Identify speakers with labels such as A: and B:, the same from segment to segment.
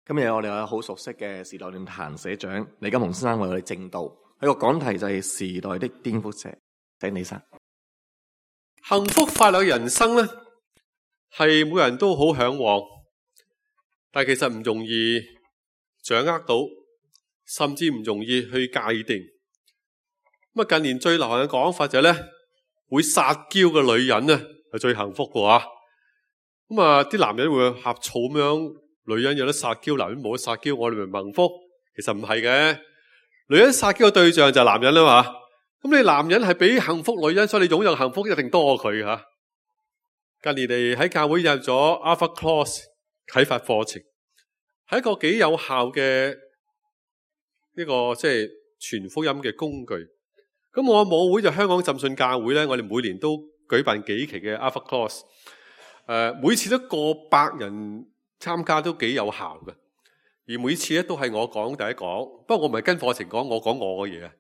A: 今日我哋有好熟悉嘅時代論壇社長李金雄先生為我哋證道，佢個講題就係時代的顛覆者。請李生。
B: 幸福快樂嘅人生呢，係每人都好向往，但係其實唔容易掌握到，甚至唔容易去界定。咁近年最流行嘅講法就係呢，會撒嬌嘅女人呢係最幸福嘅話。啲男人會呷醋咁樣，女人有得撒嬌，男人冇得撒嬌，我哋咪幸福？其實唔係嘅，女人撒嬌嘅對象就係男人啦嘛。咁你男人係俾幸福女人，所以你擁有幸福一定多過佢吓。近年嚟喺教會入咗 Alpha Course 啟發課程，係一個幾有效嘅呢個即係傳福音嘅工具。咁我母會就香港浸信教會咧，我哋每年都舉辦幾期嘅 Alpha Course，每次都過百人參加，都幾有效嘅。而每次咧都係我講第一講，不過我唔係跟課程講，我講我嘅嘢。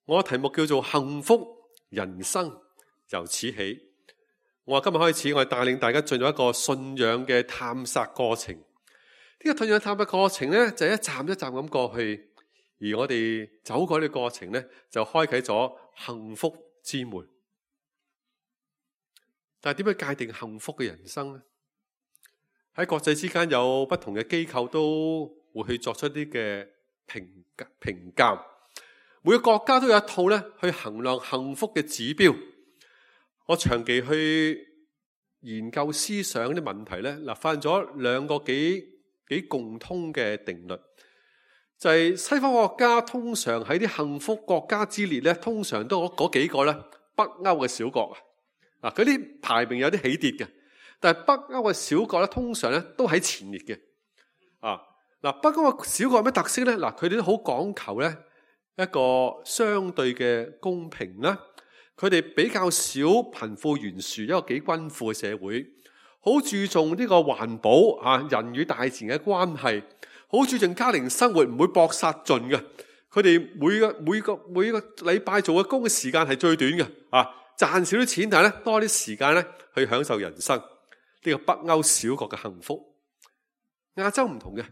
B: 我嘅題目叫做幸福人生由此起。我話今日開始，我係帶領大家進入一個信仰嘅探索過程。呢個信仰探索過程咧，就係一站一站咁過去，而我哋走過呢個過程咧，就開啟咗幸福之門。但係點樣界定幸福嘅人生呢？喺國際之間有不同嘅機構都會去作出啲嘅評價。每個國家都有一套咧去衡量幸福嘅指標。我長期去研究思想啲問題咧，發現咗兩個幾共通嘅定律，就係西方國家通常喺啲幸福國家之列咧，通常都嗰幾個咧，北歐嘅小國啊，嗰啲排名有啲起跌嘅，但係北歐嘅小國咧，通常咧都喺前列嘅。北歐嘅小國有咩特色咧？佢哋都好講求咧一個相對嘅公平啦，佢哋比較少貧富懸殊，一個幾均富嘅社會，好注重呢個環保人與大自然嘅關係，好注重家庭生活，唔會搏殺盡嘅。佢哋每個禮拜做嘅工嘅時間係最短嘅，賺少啲錢，但係咧多啲時間咧去享受人生。呢個北歐小國嘅幸福。亞洲唔同嘅。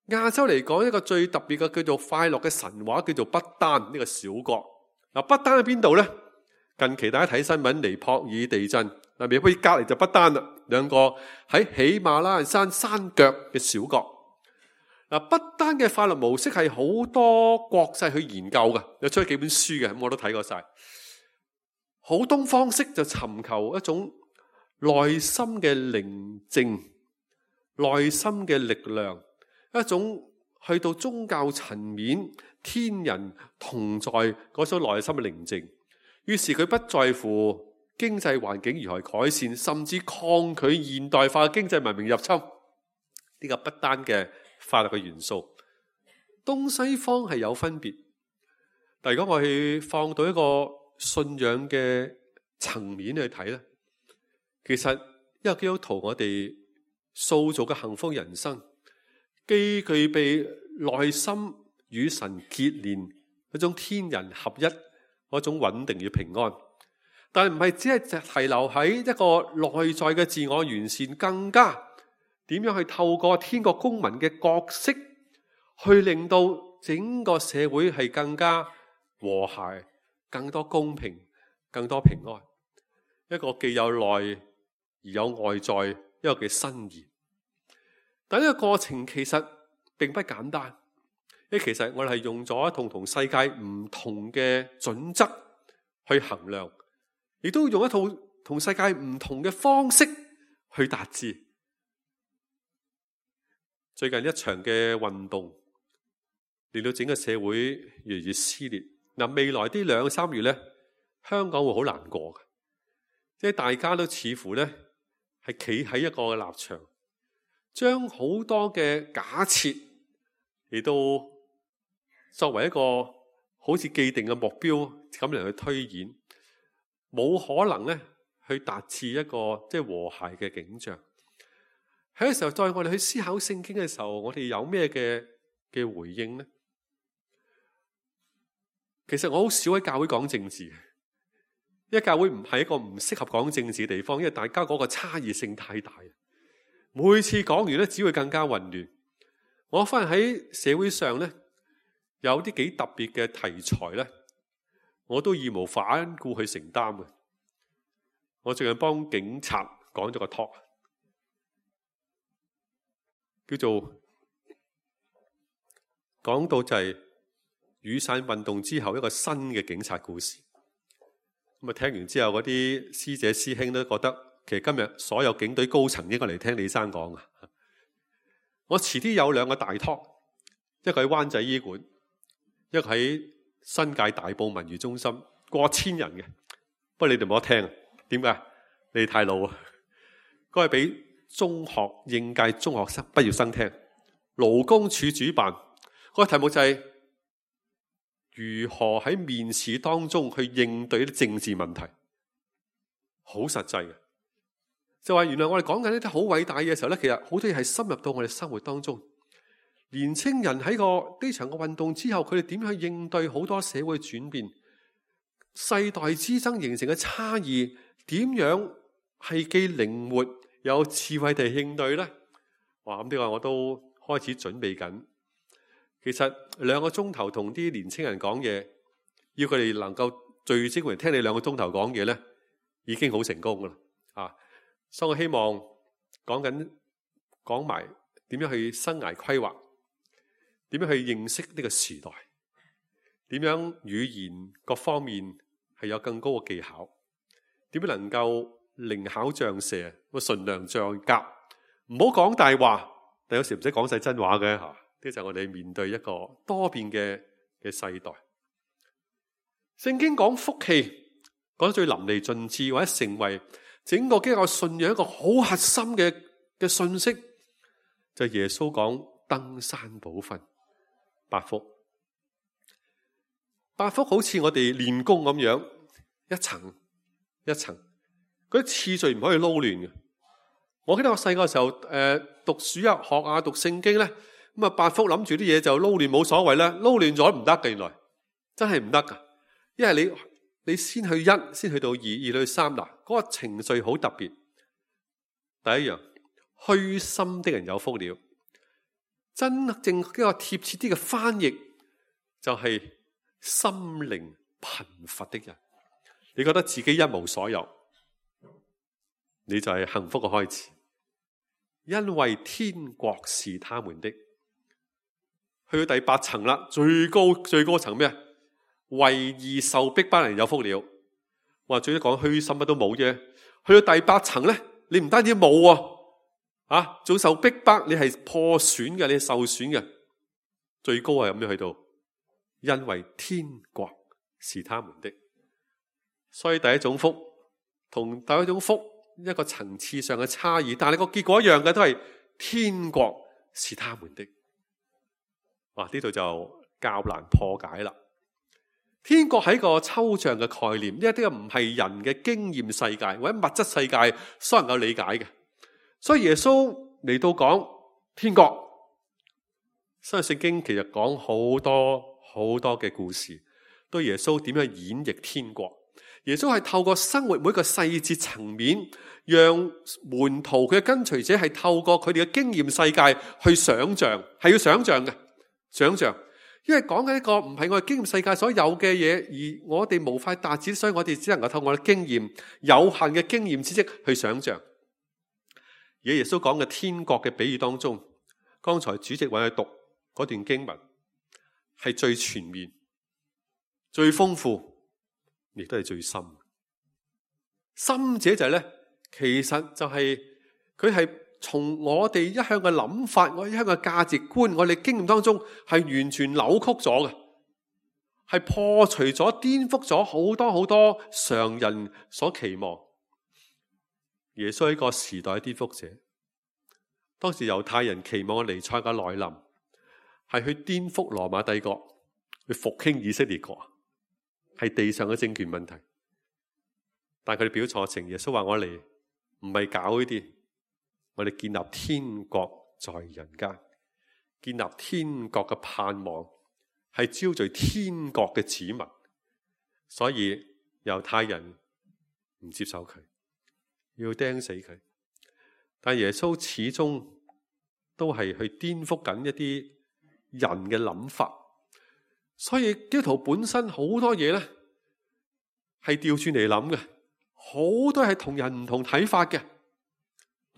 B: 亞洲嚟講，一個最特別嘅叫做快樂嘅神話，叫做不丹呢個小國。不丹喺邊度呢？近期大家睇新聞，尼泊爾地震，尼泊爾隔籬就不丹啦，兩個喺喜馬拉雅山山腳嘅小國。不丹嘅快樂模式係好多國際去研究嘅，有出咗幾本書嘅，咁我都睇過晒。好東方式就尋求一種內心嘅寧靜、內心嘅力量。一種去到宗教層面，天人同在嗰種內心嘅寧靜，於是佢不在乎經濟環境如何改善，甚至抗拒現代化嘅經濟文明入侵。呢個不單嘅快樂嘅元素，東西方係有分別。但如果我去放到一個信仰嘅層面去睇咧，其實一個基督徒我哋塑造嘅幸福人生，既具備內心與神結連嗰種天人合一嗰種穩定與平安，但係唔係只係停留喺一個內在嘅自我完善，更加點樣去透過天國公民嘅角色，去令到整個社會係更加和諧、更多公平、更多平安。一個既有內而有外在一個嘅新意。但呢個過程其實並不簡單，因為其實我哋係用咗同世界唔同嘅準則去衡量，亦都用一套同世界唔同嘅方式去達至。最近一場嘅運動令到整個社會越嚟越撕裂。未來啲2-3月咧，香港會好難過嘅，即係大家都似乎咧係企喺一個立場，將好多嘅假設嚟到作為一個好似既定嘅目標咁嚟去推演，冇可能咧去達至一個即係和諧嘅景象。喺個時候，再我哋去思考聖經嘅時候，我哋有咩嘅回應呢？其實我好少喺教會講政治，因為教會唔係一個唔適合講政治嘅地方，因為大家嗰個差異性太大。每次講完咧，只會更加混亂。我發現喺社會上呢，有啲幾特別嘅題材呢，我都義無反顧去承擔嘅。我最近幫警察講咗個 talk， 叫做講到就係雨傘運動之後一個新嘅警察故事。咁啊，聽完之後嗰啲師姐師兄都覺得，其實今日所有警隊高層應該嚟聽李生講啊。我遲啲有兩個大 talk， 一個喺灣仔醫館，一個喺新界大埔文娛中心，過千人嘅。不過你哋冇得聽，點解？你哋太老啊！嗰係俾中學應屆中學生畢業生聽，勞工處主辦。嗰個題目就係如何喺面試當中去應對啲政治問題，好實際嘅。就話原來我哋講緊一啲好偉大嘅時候咧，其實好多嘢係深入到我哋生活當中。年青人喺呢場嘅運動之後，佢哋點樣去應對好多社會轉變、世代之爭形成嘅差異，點樣係既靈活有智慧地應對呢？哇！咁呢個我都開始準備緊。其實2個鐘頭同啲年青人講嘢，要佢哋能夠聚精會神聽你2個鐘頭講嘢呢，已經好成功噶啦啊！所以我希望講埋點樣去生涯規劃，點樣去認識呢個時代，點樣語言各方面係有更高嘅技巧，點樣能夠靈巧像蛇，純良像鴿，唔好講大話，但有時唔使講晒真話嘅吓。呢就係我哋面對一個多變嘅世代。聖經講福氣，講得最淋漓盡致，或者成為整個基督教信仰一個好核心嘅信息，就係耶穌講登山寶訓8福。8福好似我哋練功咁樣，一層一層，嗰啲次序唔可以撈亂嘅。我記得我細個時候讀主日學啊，讀聖經咧，咁啊8福諗住啲嘢就撈亂冇所謂啦，撈亂咗唔得嘅，原來真係唔得噶。因為你先去1，先去到2，2去到3，嗱，嗰個程序好特別。第一樣，虛心的人有福了。真正一個貼切啲嘅翻譯就係心靈貧乏的人。你覺得自己一無所有，你就係幸福嘅開始。因為天國是他們的。去到第8層啦，最高層咩？為義受逼迫人有福了。話最多講虛心乜都冇啫。去到第8層咧，你唔單止冇喎，仲受逼迫，你係破損嘅，你係受損嘅。最高係咁樣去到，因為天國是他們的。所以第一種福同第一種福一個層次上嘅差異，但係個結果一樣嘅，都係天國是他們的。哇！呢度就較難破解啦。天國係一個抽象嘅概念，呢啲唔係人嘅經驗世界或者物質世界所能夠理解嘅。所以耶穌嚟到講天國，新約聖經其實講好多嘅故事，對耶穌點樣演繹天國。耶穌係透過生活每一個細節層面，讓門徒佢嘅跟隨者係透過佢哋嘅經驗世界去想象，係要想象嘅，想象。因為講緊一個唔係我哋經驗世界所有嘅嘢，而我哋無法達至，所以我哋只能夠透過我哋經驗有限嘅經驗知識去想象。而耶穌講嘅天國嘅比喻當中，剛才主席為佢讀嗰段經文係最全面、最豐富，亦都係最深。深者就係咧，其實就係佢係從我哋一向嘅諗法，我一向嘅價值觀，我哋經驗當中係完全扭曲咗嘅，係破除咗、顛覆咗好多常人所期望。耶穌係一個時代嘅顛覆者。當時猶太人期望嘅彌賽亞嘅來臨，係去顛覆羅馬帝國，去復興以色列國，係地上嘅政權問題。但係佢哋表錯情，耶穌話我嚟唔係搞呢啲。我哋建立天國在人間，建立天國嘅盼望，係招聚天國嘅子民。所以猶太人唔接受佢，要釘死佢。但耶穌始終都係去顛覆緊一啲人嘅諗法。所以基督徒本身好多嘢咧係調轉嚟諗嘅，好多係同人唔同睇法嘅。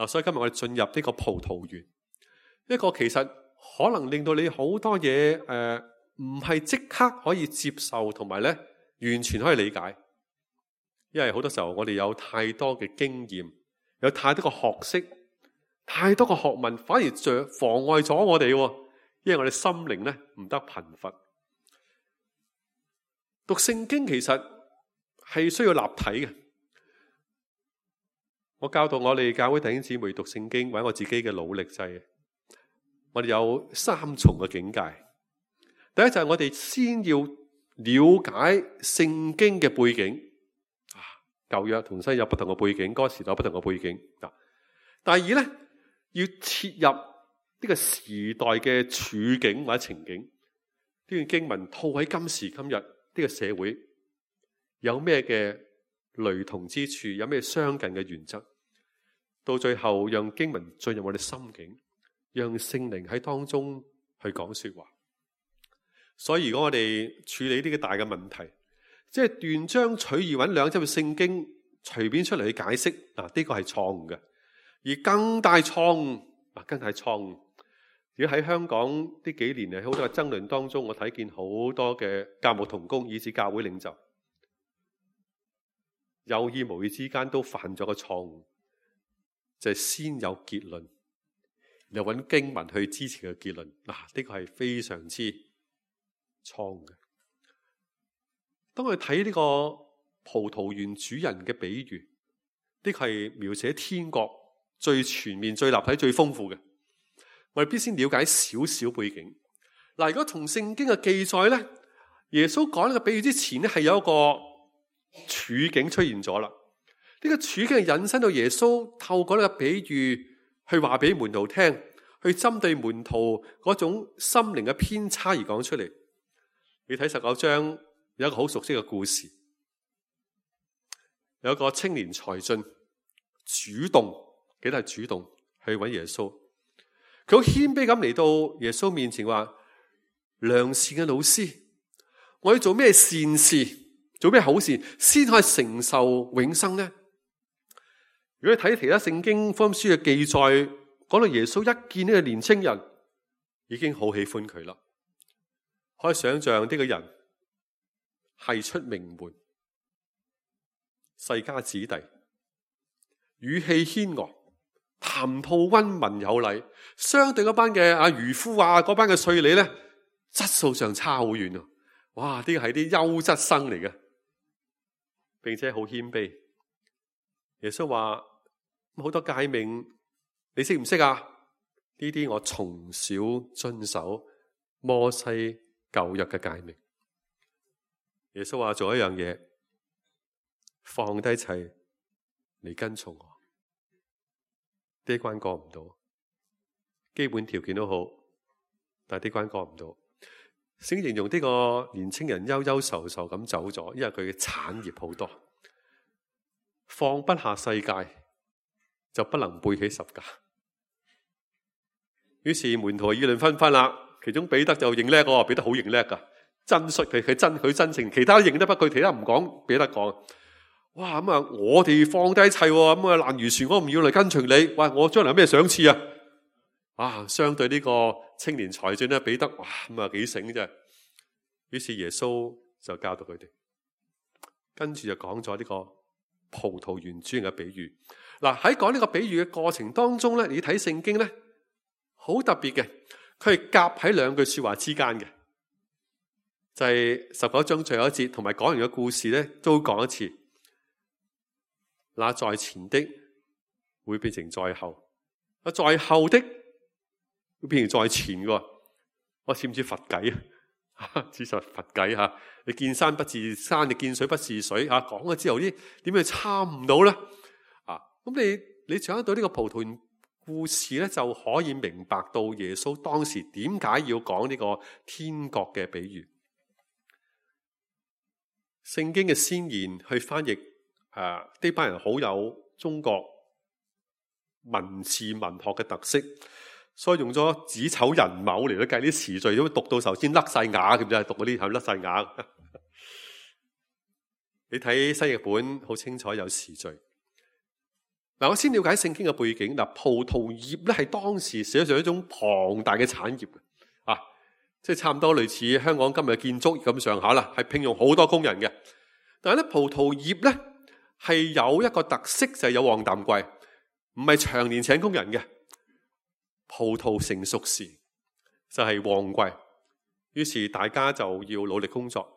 B: 所以今日我哋進入呢個葡萄園，一個其實可能令到你好多嘢唔係即刻可以接受，同埋咧完全可以理解。因為好多時候我哋有太多嘅經驗，有太多嘅學識，太多嘅學問，反而妨礙咗我哋。因為我哋心靈咧唔得貧乏。讀聖經其實係需要立體嘅。我教導我哋教會弟兄姊妹讀聖經，或者我自己嘅努力就係，我哋有3重嘅境界。第一就係我哋先要了解聖經嘅背景。舊約同新約有不同嘅背景，嗰個時代有不同嘅背景。第二咧，要切入呢個時代嘅處境或者情景，呢段經文套喺今時今日呢個社會有咩嘅雷同之處，有咩相近嘅原則，到最後讓經文進入我哋心境，讓聖靈喺當中去講說話。所以如果我哋處理呢個大嘅問題，即係斷章取義揾2節嘅聖經隨便出嚟去解釋，呢個係錯誤嘅。而更大錯誤，如果喺香港呢幾年喺好多嘅爭論當中，我睇見好多嘅教牧同工以至教會領袖有意無意之間都犯咗個錯誤，就係先有結論，又揾經文去支持個結論。呢個係非常之錯誤嘅。當我哋睇呢個葡萄園主人嘅比喻，呢個係描寫天國最全面、最立體、最豐富嘅。我哋必先了解少少背景。如果從聖經嘅記載咧，耶穌講呢個比喻之前咧，係有一個處境出現咗啦。呢個處境係引申到耶穌透過呢個比喻去話俾門徒聽，去針對門徒嗰種心靈嘅偏差而講出嚟。你睇19章。有一個好熟悉嘅故事，有一個青年才俊主動，記得係主動去揾耶穌。佢好謙卑咁嚟到耶穌面前話：良善嘅老師，我要做咩善事，做咩好事，先可以承受永生呢？如果你睇其他聖經福音書嘅記載，講到耶穌一見呢個年青人，已經好喜歡佢啦。可以想象呢個人係出名門，世家子弟，語氣謙昂，談吐溫文有禮，相對嗰班嘅漁夫嗰班嘅稅吏咧，質素上差好遠啊！哇，呢個係啲優質生嚟嘅，並且好謙卑。耶穌話：好多誡命，你識唔識啊？呢啲我從小遵守摩西舊約嘅誡命。耶穌話做一樣嘢，放低一切嚟跟從我。呢一關過唔到，基本條件都好，但係呢關過唔到。聖經形容呢個年青人憂憂愁愁咁走咗，因為佢嘅產業好多，放不下世界，就不能背起十架。於是門徒議論紛紛啦，其中彼得就認叻喎，彼得好認叻噶。真率佢真誠，其他認得不佢，其他唔講，俾得講。哇咁啊！我哋放低一切，咁啊爛漁船我唔要嚟跟隨你。哇！我將來有咩賞賜啊？相對呢個青年才俊咧，彼得哇咁啊幾醒啫。於是耶穌就教導佢哋，跟住就講咗呢個葡萄園主人嘅比喻。喺講呢個比喻嘅過程當中咧，你睇聖經咧好特別嘅，佢係夾喺2句說話之間嘅。就係19章最後一節，同埋講完嘅故事咧，都講一次。那在前的會變成在後，在後的會變成在前嘅。我似唔似佛偈啊？似實佛偈吓。你見山不是山，你見水不是水吓。講咗之後，啲點樣參唔到咧？咁你掌握到呢個葡萄園故事咧，就可以明白到耶穌當時點解要講呢個天國嘅比喻。聖經嘅先言去翻譯呢班人好有中國文字文學嘅特色，所以用咗子丑寅卯嚟計啲時序，都讀到頭先甩晒牙咁就係讀嗰啲係甩晒牙。你睇新譯本好清楚有時序。嗱，我先了解聖經嘅背景。嗱，葡萄業咧係當時寫上一種龐大嘅產業啊，即係差唔多類似香港今日嘅建築業咁上下啦，係聘用好多工人嘅。但係咧，葡萄業咧係有一個特色，就係有旺淡季，唔係長年請工人嘅。葡萄成熟時就係旺季，於是大家就要努力工作。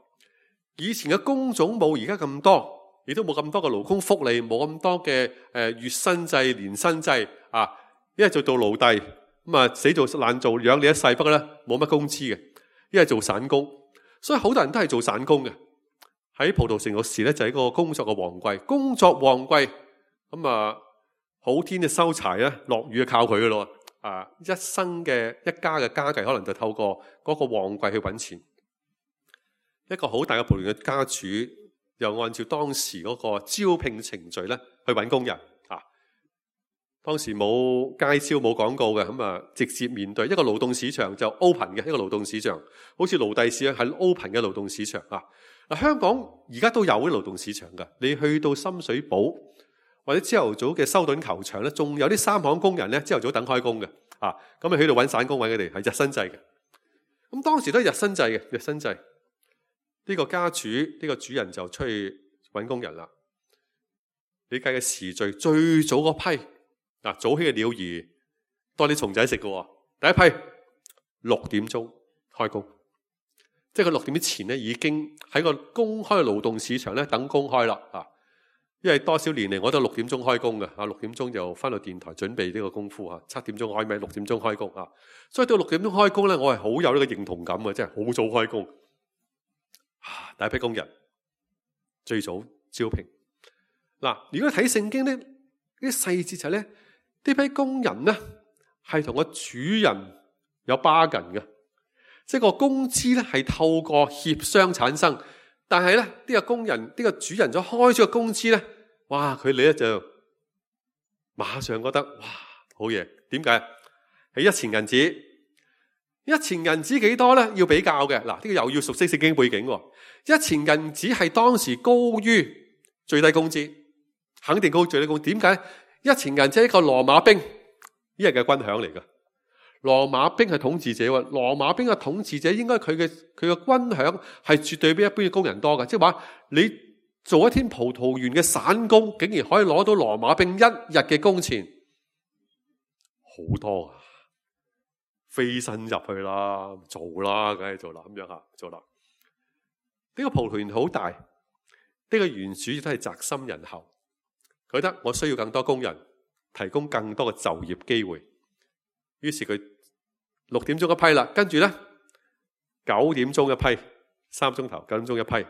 B: 以前嘅工種冇而家咁多，亦都冇咁多嘅勞工福利，冇咁多嘅月薪制、年薪制啊。一係做到奴隸咁啊，死做爛做養你一世，不過咧冇乜工資嘅。一係做散工，所以好多人都係做散工嘅。喺葡萄成熟時咧，就係一個工作嘅旺季。工作旺季咁啊，好天就收柴咧，落雨就靠佢噶咯。啊！一生嘅一家嘅家計可能就透過嗰個旺季去揾錢。一個好大嘅葡萄園嘅家主又按照當時嗰個招聘程序咧去揾工人啊。當時冇街招冇廣告嘅，咁啊直接面對一個勞動市場，就 open 嘅一個勞動市場，好似奴隸市啊，係 open 嘅勞動市場啊。嗱，香港而家都有啲勞動市場㗎。你去到深水埗或者朝頭早嘅修頓球場咧，仲有啲三行工人咧，朝頭早等開工嘅，啊，咁啊喺度揾散工揾佢哋，係日薪制嘅。咁當時都係日薪制嘅，日薪制。呢個家主呢個主人就出去揾工人啦。你計嘅時序最早嗰批，嗱，早起嘅鳥兒多啲蟲仔食嘅。第一批6點鐘開工，即係佢6點之前咧已經喺個公開嘅勞動市場咧等公開啦，啊。因為多少年嚟我都6點鐘開工嘅，6點鐘就翻到電台準備呢個功夫，7點鐘開咪，6點鐘開工啊。所以到6點鐘開工咧，我係好有呢個認同感嘅，即係好早開工。第一批工人最早招聘。嗱，如果睇聖經咧，啲細節就係咧，呢批工人咧係同個主人有 bargain嘅，即係個工資咧係透過協商產生。但係咧，呢個工人呢個主人咗開咗個工資咧，哇！佢哋咧就馬上覺得哇，好嘢。點解？係1錢銀紙，1錢銀紙幾多咧？要比較嘅。嗱，呢個又要熟悉聖經背景。1錢銀紙係當時高於最低工資，肯定高於最低工資。點解？1錢銀紙係一個羅馬兵一日嘅軍餉嚟㗎。羅馬兵係統治者喎，羅馬兵嘅統治者應該佢嘅軍餉係絕對比一般嘅工人多嘅，即係話你做一天葡萄園嘅散工，竟然可以攞到羅馬兵一日嘅工錢，好多啊！飛身入去啦，做啦，梗係做啦，咁樣吓做啦。呢個葡萄園好大，呢個園主亦都係宅心仁厚，覺得我需要更多工人，提供更多嘅就業機會。於是佢6點鐘一批啦，跟住咧9點鐘一批，3鐘頭9點鐘一批，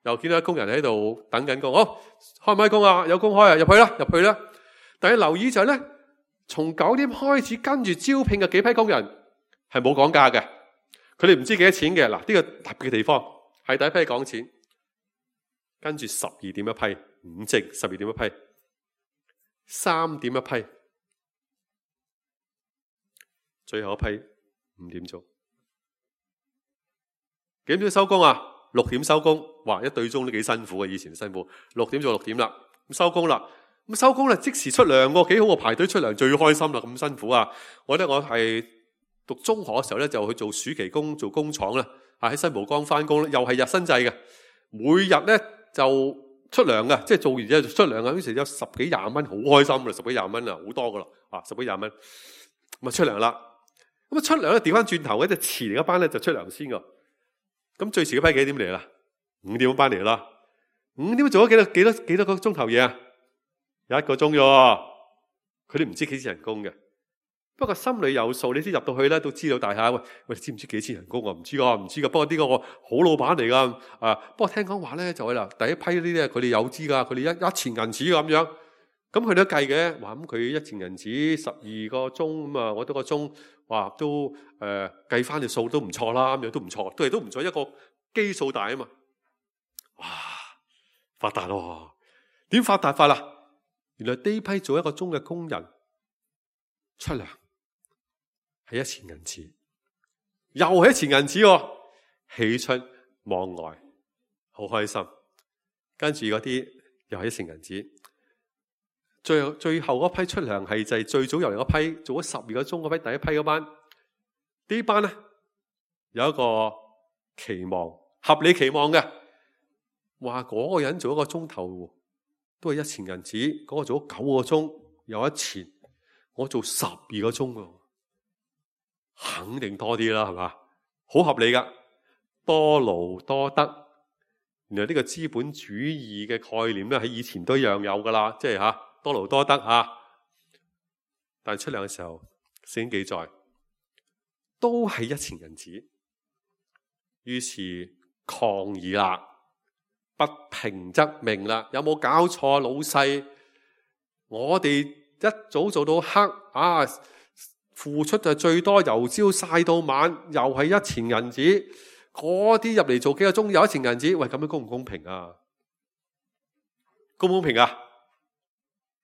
B: 又見到工人喺度等緊工，好，開唔開工啊？有工開啊，入去啦，入去啦。但係留意就係咧，從9點開始跟住招聘嘅幾批工人係冇講價嘅，佢哋唔知幾多錢嘅。嗱，呢個特別嘅地方係第一批講錢，跟住12點一批，5正12點一批，3點一批。最後一批5點鐘，幾點鐘收工啊？6點收工，哇！一對鐘都幾辛苦啊，以前辛苦。6點做6點啦，咁收工啦，咁收工啦，即時出糧喎，幾好啊！排隊出糧最開心啦，咁辛苦啊！我覺得我係讀中學嘅時候咧，就去做暑期工，做工廠啦，喺新蒲崗翻工咧，又係日薪制嘅，每日咧就出糧嘅，即係做完之後就出糧啊！於是有10幾20蚊，好開心啦，10幾20蚊啊，好多噶啦，10幾20蚊，咁啊出糧啦。咁啊出糧咧，調翻轉頭，一隻遲嚟一班咧就出糧先噶。咁最遲嗰批幾點嚟啦？5點班嚟啦。5點做咗幾多個鐘頭嘢啊？1個鐘啫。佢哋唔知幾錢人工嘅，不過心裏有數。你知入到去咧都知道大廈。喂，知唔知幾錢人工啊？唔知噶，唔知噶。不過呢個我好老闆嚟噶。不過聽講話咧就係啦，第一批呢啲佢哋有知噶，佢哋一錢銀紙咁樣。咁佢都計嘅，話咁佢1錢銀紙12個鐘咁啊，我多個鐘，哇都計翻條數都唔錯啦，咁樣都唔錯，都唔錯，一個基數大啊嘛，哇發達咯！點發達法啦？原來呢批做1個鐘嘅工人出糧係一錢銀子，又係一錢銀子喎，喜出望外，好開心。跟住嗰啲又係一錢銀子，最後嗰批出糧係就係最早入嚟嗰批，做咗12個鐘嗰批第一批嗰班，呢班咧有一個期望，合理期望嘅，話嗰個人做1個鐘頭都係一錢銀子，嗰個做咗9個鐘有1錢，我做12個鐘喎，肯定多啲啦，係嘛？好合理噶，多勞多得。原來呢個資本主義嘅概念咧，喺以前都一樣有噶啦，即係多勞多得吓。但係出糧嘅時候，聖經記載都係一錢銀子，於是抗議啦，不平則鳴啦。有冇搞錯，老細？我哋一早做到黑啊，付出就最多，由朝曬到晚，又係一錢銀子。嗰啲入嚟做幾個鐘有一錢銀子，喂，咁樣公唔公平啊？公唔公平啊？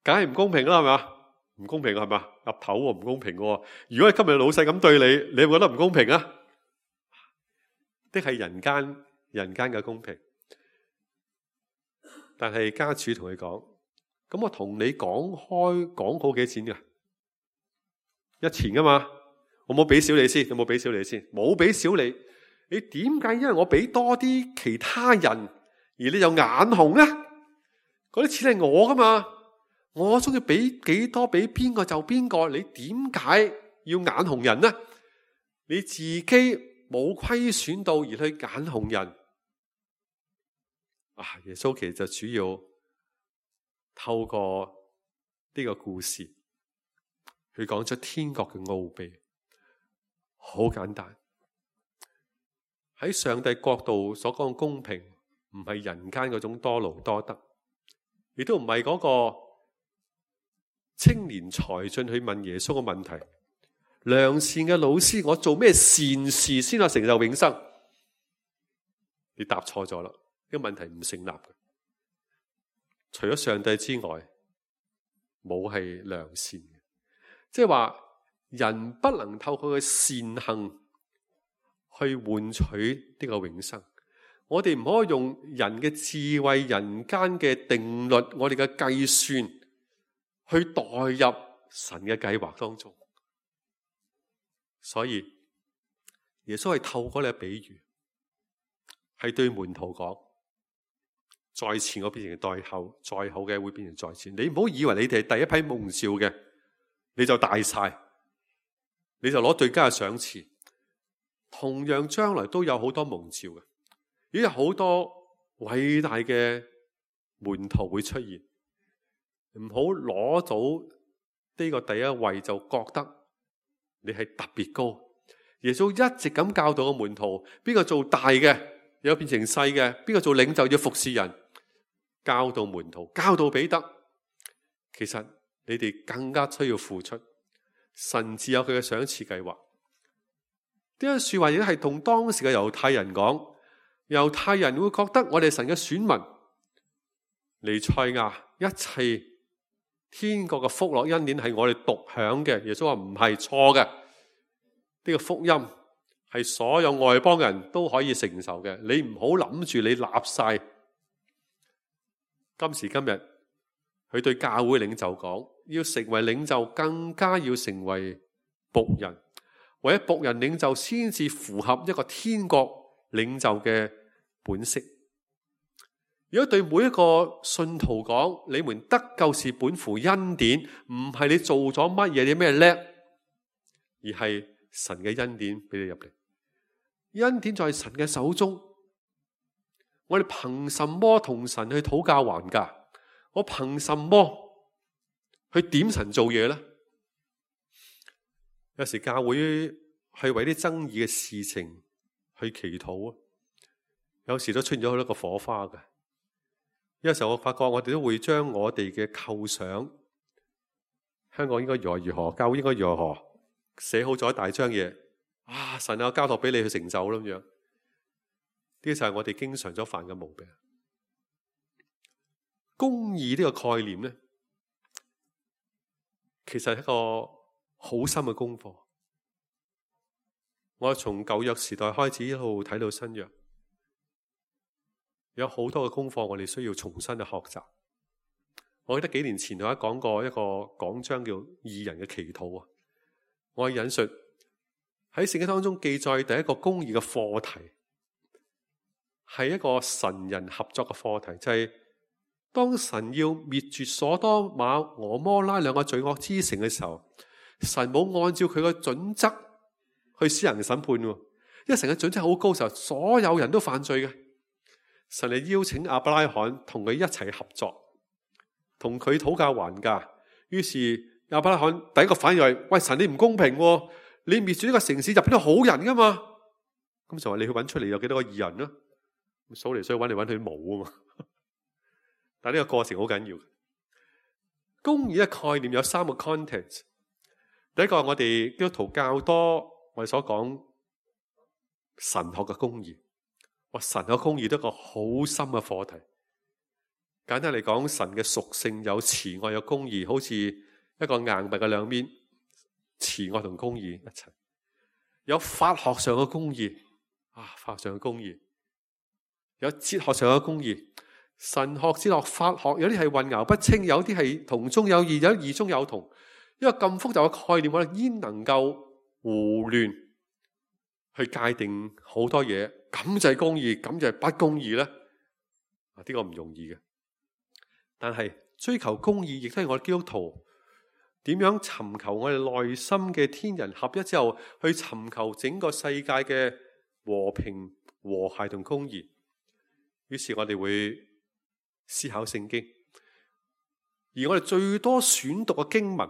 B: 梗係唔公平啦，係咪？唔公平係咪？岌頭喎，唔公平喎。如果係今日老細咁對你，你會覺得唔公平啊？的係人間嘅公平。但係家主同佢講，咁我同你講好幾錢㗎？1錢噶嘛？我冇俾少你先，有冇俾少你先？冇俾少你。你點解因為我俾多啲其他人，而你就眼紅呢？嗰啲錢係我噶嘛，我中意俾幾多俾邊個就邊個，你點解要眼紅人呢？你自己冇虧損到而去眼紅人啊！耶穌其實就主要透過呢個故事去講出天國嘅奧秘，好簡單。喺上帝國度所講嘅公平，唔係人間嗰種多勞多得，亦都唔係嗰個青年才俊去問耶穌嘅問題。良善嘅老師，我做咩善事先可成就永生？你答錯咗啦，呢個問題唔成立嘅。除咗上帝之外，冇係良善嘅，即係話人不能透過佢嘅善行去換取呢個永生。我哋唔可以用人嘅智慧、人間嘅定律、我哋嘅計算去代入神嘅計劃當中。所以耶穌係透過呢個比喻，係對門徒講：在前我變成在後，在後嘅會變成在前。你唔好以為你哋係第一批蒙召嘅，你就大晒，你就攞最佳嘅賞賜。同樣將來都有好多蒙召嘅，亦有好多偉大嘅門徒會出現。唔好攞到呢個第一位就覺得你係特別高。耶穌一直咁教導個門徒，邊個做大嘅有變成細嘅，邊個做領袖要服侍人，教導門徒，教導彼得。其實你哋更加需要付出，神自有佢嘅賞賜計劃。呢句說話亦都係同當時嘅猶太人講，猶太人會覺得我哋神嘅選民，彌賽亞一切天國嘅福樂恩典係我哋獨享嘅。耶穌話唔係，錯嘅，呢個福音係所有外邦人都可以承受嘅。你唔好諗住你立晒。今時今日佢對教會領袖講，要成為領袖更加要成為僕人。為咗僕人領袖先至符合一個天國領袖嘅本色。如果對每一個信徒講，你們得救是本乎恩典，唔係你做咗乜嘢啲咩叻，而係神嘅恩典俾你入嚟。恩典在神嘅手中，我哋憑什麼同神去討價還價？我憑什麼去點神做嘢呢？有時教會係為啲爭議嘅事情去祈禱啊，有時都出現咗好多個火花嘅。有時候我發覺我哋都會將我哋嘅構想，香港應該如何如何，教會應該如何，寫好咗一大張嘢。啊，神啊，交託俾你去成就啦咁樣。呢個就係我哋經常所犯嘅毛病。公義呢個概念咧，其實係一個好深嘅功課。我從舊約時代開始一路睇到新約，有好多嘅功課我哋需要重新去學習。我記得幾年前我講過一個講章叫義人嘅祈禱啊，我引述喺聖經當中記載第一個公義嘅課題，係一個神人合作嘅課題，就係當神要滅絕所多瑪、俄摩拉兩個罪惡之城嘅時候，神冇按照佢嘅準則去施行審判，因為神嘅準則好高嘅時候，所有人都犯罪嘅。神嚟邀請亞伯拉罕同佢一齊合作，同佢討價還價。於是亞伯拉罕第一個反應係：喂，神你唔公平，你滅絕呢個城市入邊都好人噶嘛？咁就話你去揾出嚟有幾多個義人啦？數嚟數去揾嚟揾去冇啊嘛。但係呢個過程好緊要。公義嘅概念有三個 content。第一個我哋基督徒較多我哋所講神學嘅公義。神學公義都係一個好深嘅課題。簡單嚟講，神嘅屬性有慈愛有公義，好似一個硬幣嘅兩面，慈愛同公義一齊。有法學上嘅公義法學上嘅公義，有哲學上嘅公義。神學、哲學、法學有啲係混淆不清，有啲係同中有異，有啲異中有同。因為咁複雜嘅概念，我哋焉能夠胡亂去界定好多嘢？咁就係公義，咁就係不公義呢？呢個唔容易嘅。但係追求公義，亦都係我哋基督徒點樣尋求我哋內心嘅天人合一之後，去尋求整個世界嘅和平、和諧同公義。於是我哋會思考聖經，而我哋最多選讀嘅經文，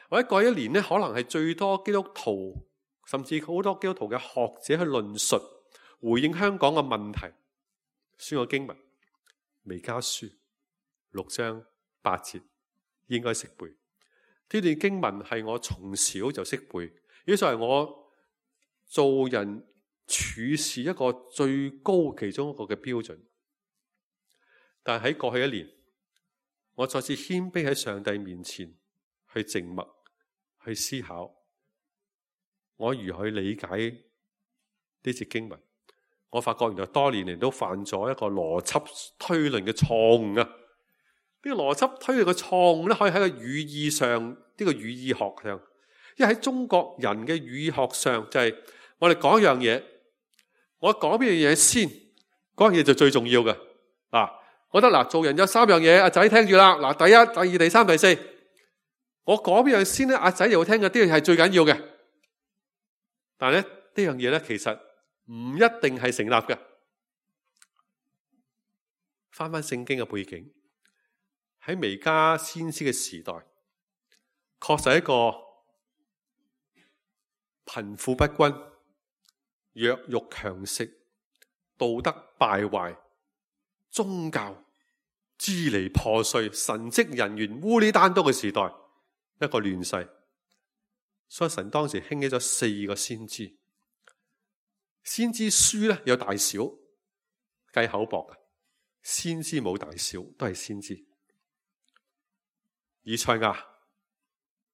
B: 或者過一年呢，可能係最多基督徒，甚至好多基督徒嘅學者去論述回應香港嘅問題。選個經文，彌迦書6章8節應該識背。呢段經文係我從小就識背，呢就係我做人處事一個最高其中一個嘅標準。但係喺過去一年，我再次謙卑喺上帝面前去靜默，去思考，我如何去理解呢節經文。我發覺原來多年嚟都犯咗一個邏輯推論嘅錯誤啊！呢個邏輯推論嘅錯誤咧，可以喺個語義上，呢個語義學上，因為喺中國人嘅語義學上，就係我哋講一樣嘢，我講邊樣嘢先，嗰樣嘢就最重要嘅。我覺得做人有3樣嘢，阿仔聽住啦。第一、第二、第三、第四，我講邊樣先咧，阿仔又會聽嘅，呢樣係最緊要嘅。但係咧，呢樣嘢咧，其實唔一定係成立嘅。翻聖經嘅背景，喺彌迦先知嘅時代，確實係一個貧富不均、弱肉強食、道德敗壞、宗教支離破碎、神職人員烏哩單刀嘅時代，一個亂世。所以神當時興起咗4個先知。先知書咧有大小，計口薄嘅。先知冇大小，都係先知。以賽亞、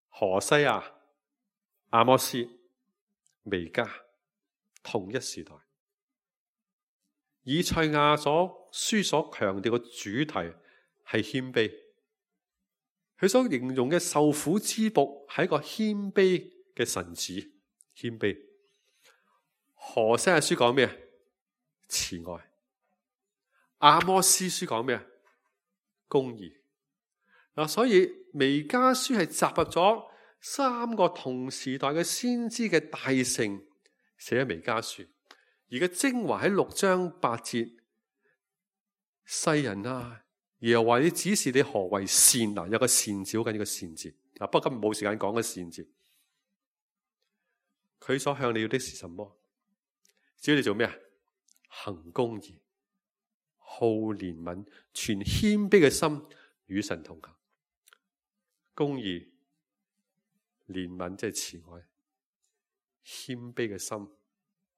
B: 何西亞、阿摩斯、彌迦，同一時代。以賽亞書所強調嘅主題係謙卑，佢所形容嘅受苦之僕係一個謙卑嘅神子，謙卑。何西亞書講咩？慈愛。阿摩司書講咩？公義。所以彌迦書係集合咗3個同時代嘅先知嘅大成，寫咗彌迦書。而個精華喺6章8節，世人啊，耶和華你指示你何為善？有個善字，好緊要個善字。不過今日冇時間講個善字。佢所向你要的是什麼？只要你做咩？行公義，好憐憫，存謙卑嘅心，與神同行。公義、憐憫即係慈愛，謙卑嘅心，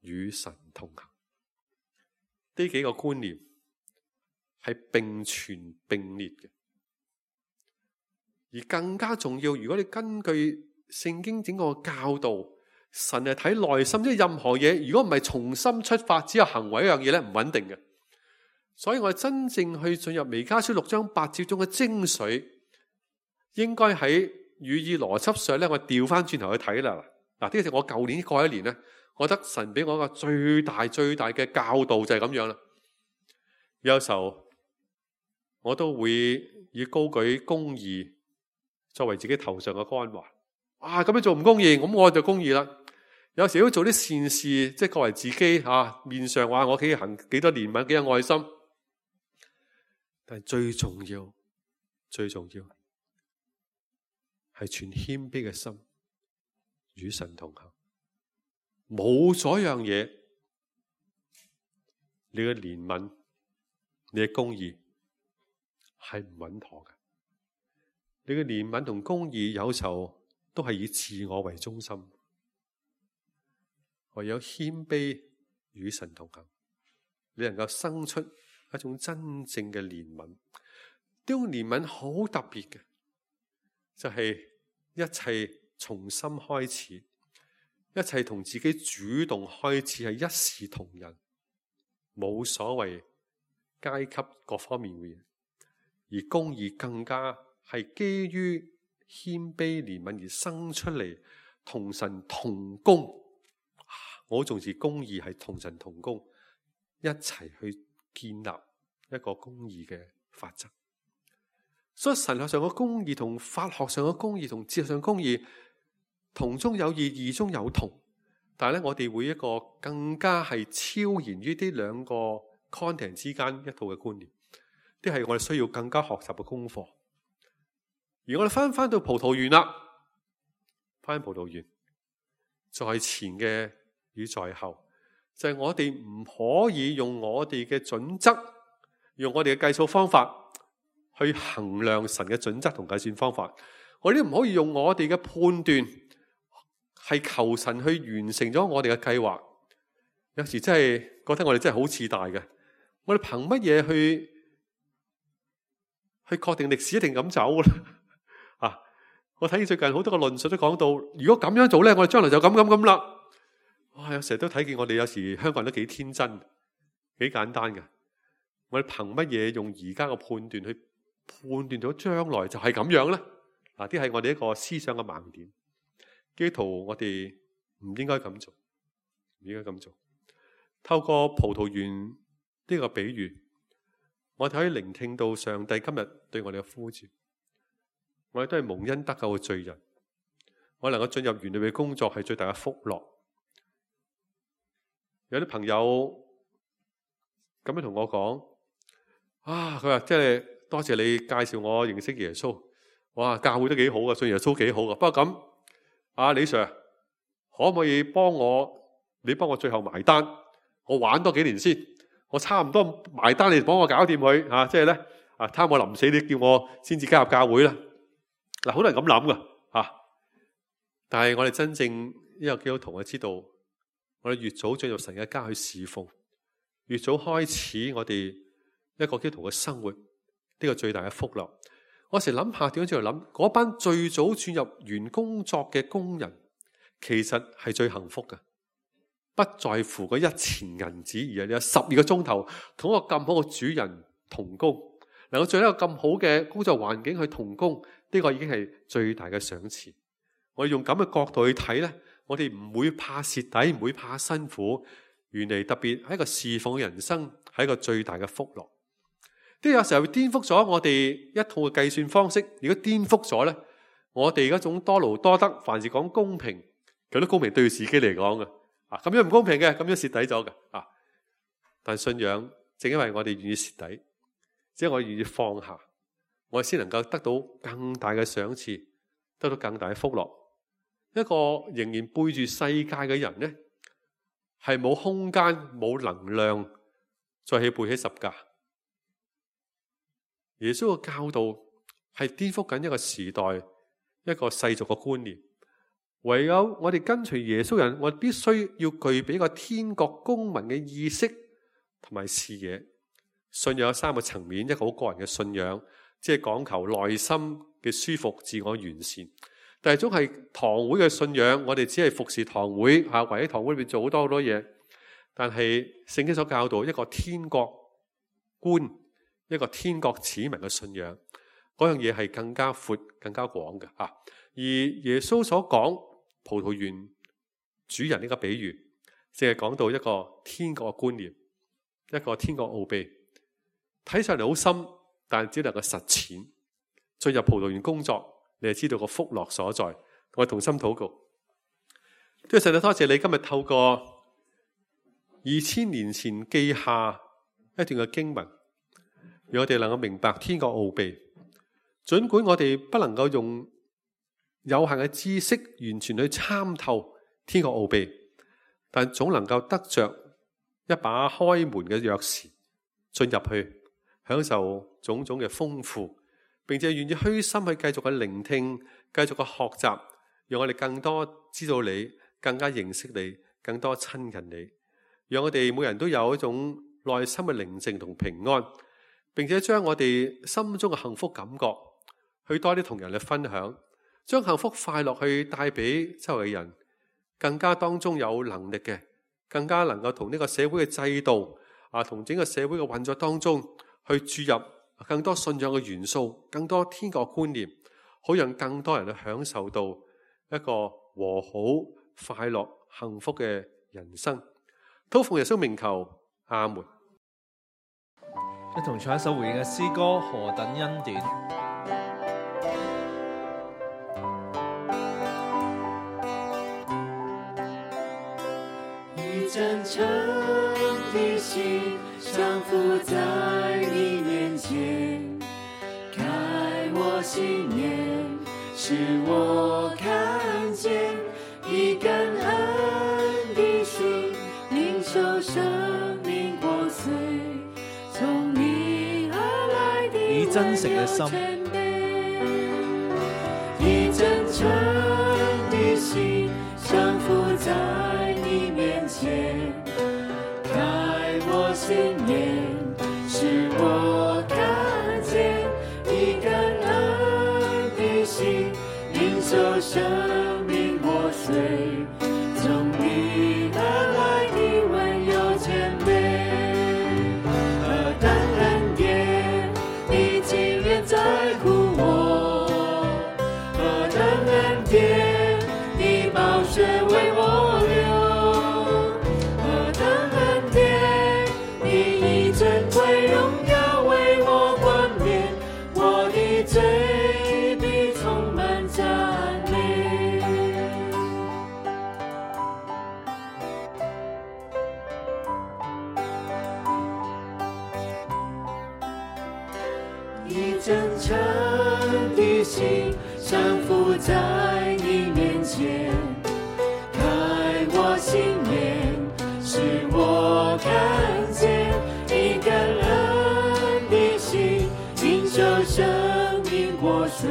B: 與神同行。呢幾個觀念係並存並列嘅。而更加重要，如果你根據聖經整個教導，神係睇內心，即係任何嘢，如果唔係從心出發，只有行為一樣嘢咧，唔穩定嘅。所以我哋真正去進入彌迦書6章8節中嘅精髓，應該喺語意邏輯上咧，我調翻轉頭去睇啦。嗱，呢個係我舊年過一年咧，我覺得神俾我一個最大嘅教導就係咁樣啦。有時候我都會以高舉公義作為自己頭上嘅光環。咁樣做唔公義，咁我就公義啦。有時都做啲善事，即係作為自己面上話我可以行幾多憐憫，幾多愛心。但係最重要係存謙卑嘅心，與神同行。冇咗樣嘢，你嘅憐憫，你嘅公義係唔穩妥嘅。你嘅憐憫同公義有時候都係以自我為中心。唯有謙卑與神同行，你能夠生出一種真正嘅憐憫。呢種憐憫好特別嘅，就係一切從心開始，一切同自己主動開始，係一視同仁，冇所謂階級各方面嘅嘢。而公義更加係基於謙卑憐憫而生出嚟，同神同工。我好重視公義係同神同工，一齊去建立一個公義嘅法則。所以神學上嘅公義同法學上嘅公義同哲學上嘅公義同中有異，異中有同。但係咧，我哋會一個更加係超然於呢兩個 content 之間一套嘅觀念，啲係我哋需要更加學習嘅功課。而我哋翻到葡萄園啦，翻葡萄園，在前嘅與在後，就係我哋唔可以用我哋嘅準則，用我哋嘅計數方法去衡量神嘅準則同計算方法。我哋唔可以用我哋嘅判斷係求神去完成咗我哋嘅計劃。有時真係覺得我哋真係好自大嘅。我哋憑乜嘢去確定歷史一定咁走咧？我睇見最近好多個論述都講到，如果咁樣做咧，我哋將來就咁啦。有時都睇見我哋有時香港人都幾天真，幾簡單嘅。我哋憑乜嘢用而家嘅判斷去判斷到將來就係咁樣咧？啲係我哋一個思想嘅盲點。基督徒我哋唔應該咁做，唔應該咁做。透過葡萄園呢個比喻，我哋可以聆聽到上帝今日對我哋嘅呼召。我哋都係蒙恩得救嘅罪人，我能夠進入園裏嘅工作係最大嘅福樂。有啲朋友咁樣同我講，佢話即係多謝你介紹我認識耶穌，哇，教會都幾好啊，信耶穌幾好啊。不過咁，李 Sir 可唔可以你幫我最後埋單，我玩多幾年先，我差唔多埋單，你幫我搞掂佢即係咧貪我臨死，你叫我先至加入教會啦。好多人咁諗噶但係我哋真正一個基督徒，我知道我哋越早進入神嘅家去侍奉，越早開始我哋一個基督徒嘅生活，呢個最大嘅福樂。我成日諗下點樣去諗，嗰班最早轉入園工作嘅工人，其實係最幸福嘅，不在乎嗰1錢銀子，而係你有12個鐘頭同一個咁好嘅主人同工，能夠做一個咁好嘅工作環境去同工，呢個已經係最大嘅賞賜。我哋用咁嘅角度去睇呢，我哋唔會怕蝕底，唔會怕辛苦。原嚟特別係一個侍奉嘅人生，係一個最大嘅福樂。呢有時候會顛覆咗我哋一套嘅計算方式。如果顛覆咗呢，我哋嗰種多勞多得，凡事講公平，佢都公平對自己嚟講嘅。咁樣唔公平嘅，咁樣蝕底咗嘅。但信仰正因為我哋願意蝕底，即係我願意放下，我哋先能夠得到更大嘅賞賜，得到更大嘅福樂。一個仍然背住世界嘅人呢，係冇空間、冇能量再去背起十架。耶穌嘅教導係顛覆緊一個時代、一個世俗嘅觀念。唯有我哋跟隨耶穌人，我哋必須要具備一個天國公民嘅意識同埋視野。信仰有3個層面，一個好個人嘅信仰，即係講求內心嘅舒服、自我完善。但係總係堂會嘅信仰，我哋只係服侍堂會嚇，圍喺堂會裏邊做好多嘢。但係聖經所教導一個天國觀、一個天國子民嘅信仰，嗰樣嘢係更加闊、更加廣嘅嚇。而耶穌所講葡萄園主人呢個比喻，淨係講到一個天國嘅觀念，一個天國奧秘，睇上嚟好深，但只能夠實踐。進入葡萄園工作，你就知道個福樂所在。我哋同心禱告，多謝神，多謝你今日透過2000年前記下一段嘅經文，讓我哋能夠明白天國奧秘。盡管我哋不能夠用有限嘅知識完全去參透天國奧秘，但總能夠得着一把開門嘅鑰匙，進入去享受種種嘅豐富，並且願意虛心去繼續去聆聽，繼續去學習，讓我哋更多知道你，更加認識你，更多親近你，讓我哋每人都有一種內心嘅寧靜同平安，並且將我哋心中嘅幸福感覺去多啲同人去分享，將幸福快樂去帶俾周圍嘅人，更加當中有能力嘅，更加能夠同呢個社會嘅制度同整個社會嘅運作當中去注入更多信仰嘅元素，更多天國觀念，好讓更多人去享受到一個和好、快樂、幸福嘅人生。禱奉耶穌名求，阿門。
C: 一同唱一首回應嘅詩歌《何等恩典》。
D: 一真誠的心降服在你面前，開我心眼，使我看見一感恩的心，領受生命國粹，從你而來的
C: 以真誠嘅心，
D: 以真誠的心降服在你面前，開我心眼，使我看見一感恩的心，領受生命國粹，從你而來的溫柔謙卑，何等恩典，你竟然在乎我，何等恩典，你寶血為我流，何等恩典，你以尊貴榮耀為我冠冕，我的嘴必充滿讚美。以真誠的心降服在你面前，開我心眼，使我看見一感恩的心，領受生命國粹，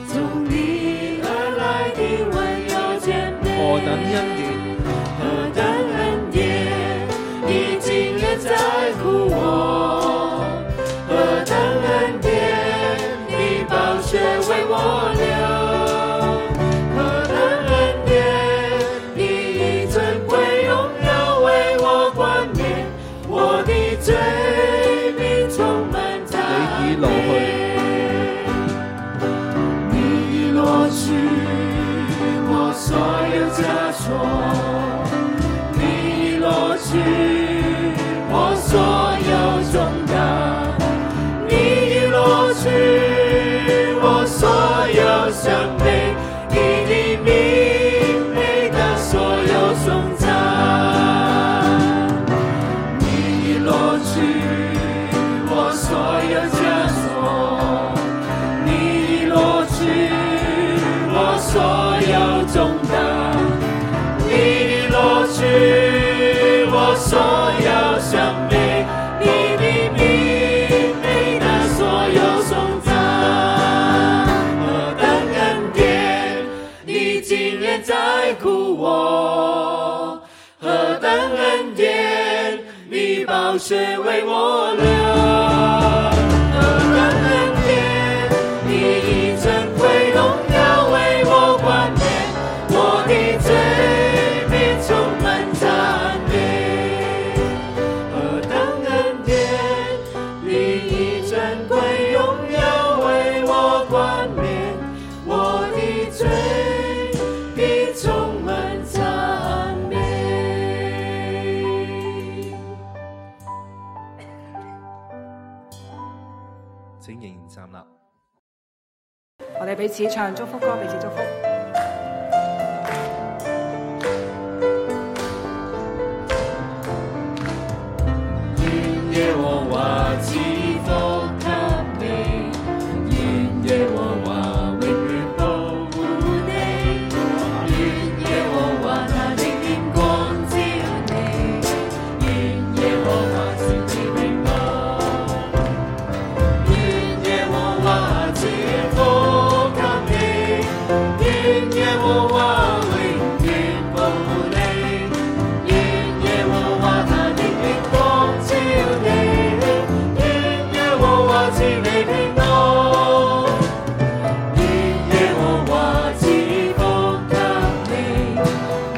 D: 從你而來的溫柔謙卑。
C: 何等恩典，
D: 何等恩典，你竟然在乎我，何等恩典，你寶血為我流，何等恩典，你以尊貴榮耀為我冠冕，我的嘴必充滿讚美。你已攞去我所有枷鎖，你已攞去我所有重擔，你已攞去我所有傷悲，你的名配得所有頌讚，你已攞去我所有枷鎖，你已攞去我所有重擔，你已攞去我所有傷悲，你的名配得所有頌讚，何等恩典，你竟然在乎我，何等恩典，你寶血為我流，何等恩典，你以尊貴榮耀為我
C: 請仍然站立。
E: 我哋彼此唱祝福歌，彼此祝福。
D: 願耶和華賜福給你，願耶和華永遠保護你，願耶和華他的臉光照你，願耶和華賜你平安，願耶和華賜福給你，願耶和華永遠保護你，願耶和華他的臉光照你，願耶和華賜你平安，願耶和華賜福給你，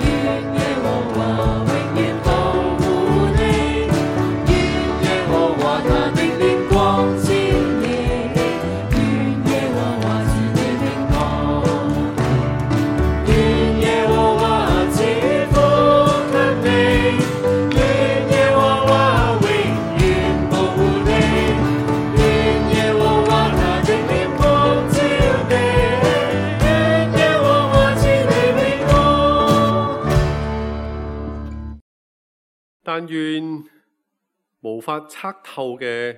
D: 願耶和華永遠保護你，願耶和華他的臉光照你，願耶和華賜你平安，願耶和華賜福給你，願耶和華永遠保護你，願耶和華他的臉光照你，願耶和華賜你平安。
B: 但願無法測透嘅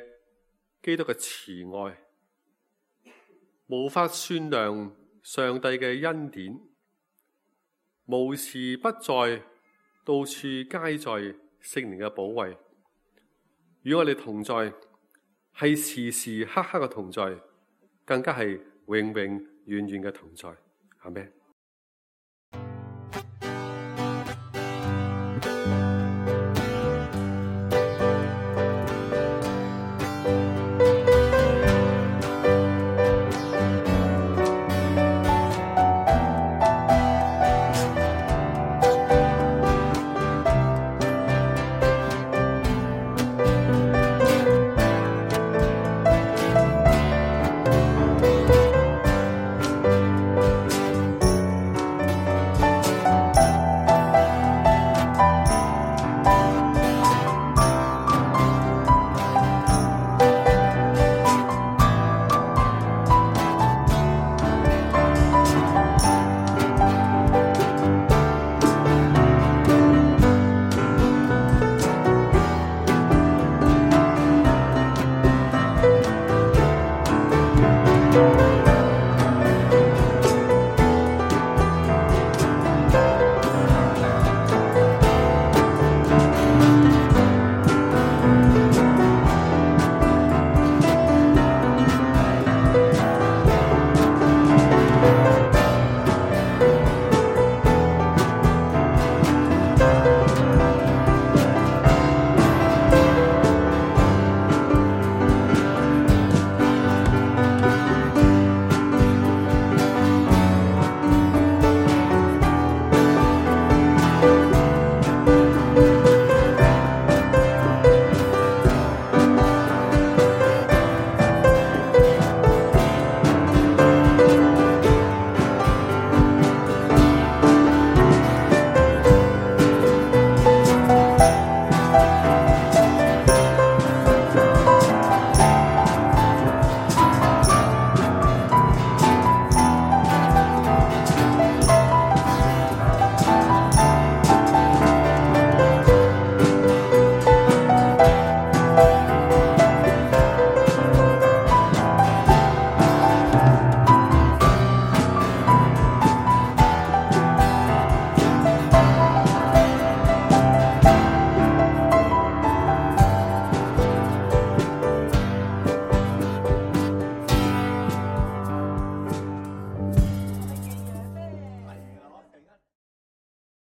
B: 基督嘅慈愛，無法算量上帝嘅恩典，無時不在，到處皆在聖靈嘅保衛，與我哋同在，係時時刻刻嘅同在，更加係永永遠遠嘅同在。阿們。